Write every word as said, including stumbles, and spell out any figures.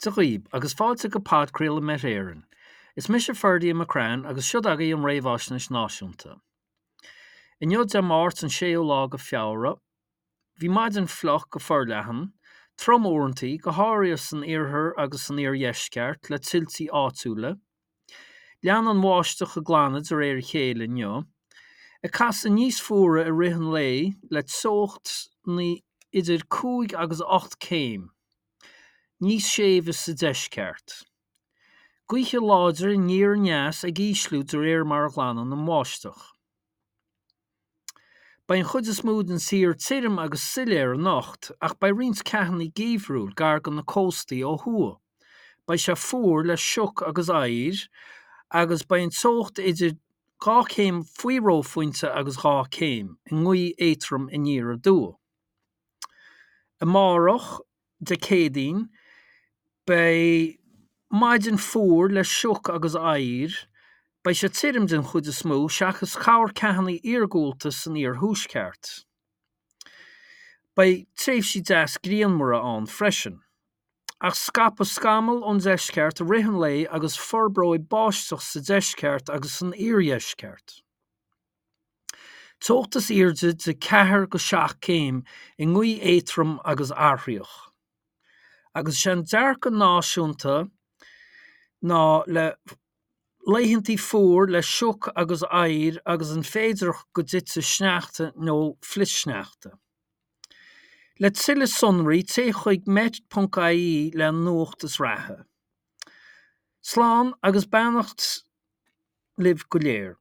Dia dhaoib agus fáilte go podchraoladh Met Éireann. Is mise Ferdia McCrann agus seo agaibh an réamhaisnéis náisiúnta. Inniu Dé Máirt an séú lá de Feabhra, bhí maidin fliuch go forleathan, trom uaireanta, go háirithe san iarthar agus san iardheisceart le tuiltí áitiúla. Lean an bháisteach ag glanadh de réir a chéile inniu, ag casadh níos fuaire i rith an lae le teochtaí idir cúig agus ocht céim, níos séimhe sa deisceart. Gaoithe láidre aniar aneas ag ísliú de réir mar a ghlanann an bháisteach. Beidh an chuid is mó den tír tirim agus soiléir anocht ach beidh roinnt ceathanna geimhriúil gar do na cóstaí ó thuaidh. Beidh sé fuar le sioc agus oighear agus beidh an teocht idir dhá chéim faoi reophointe agus dhá chéim, i ngaoth éadrom aniar aduaidh. Amárach, Dé Céadaoin, beidh maidin fuar le sioc agus oighear, beidh sé tirim den chuid is mó seachas corrcheathanna iargúlta san iarthuaisceart. Beidh tréimhsí deas grianmhara ann freisin. Ach scaipfidh scamaill ón deisceart i rith an lae agus forbróidh báisteach sa deisceart agus san iardheisceart. Teocht is airde de ceathair go seacht céim i ngaoth éadrom agus athraitheach. Agus is é an dearcadh náisiúnta ná le laethantaí fuar le sioc agus oighear agus an féidearthacht go dtitfidh sneachta nó flichshneachta. Le tuilleadh sonraí téigh chuig met.ie le nuacht is reatha. Slán agus beannacht libh go léir.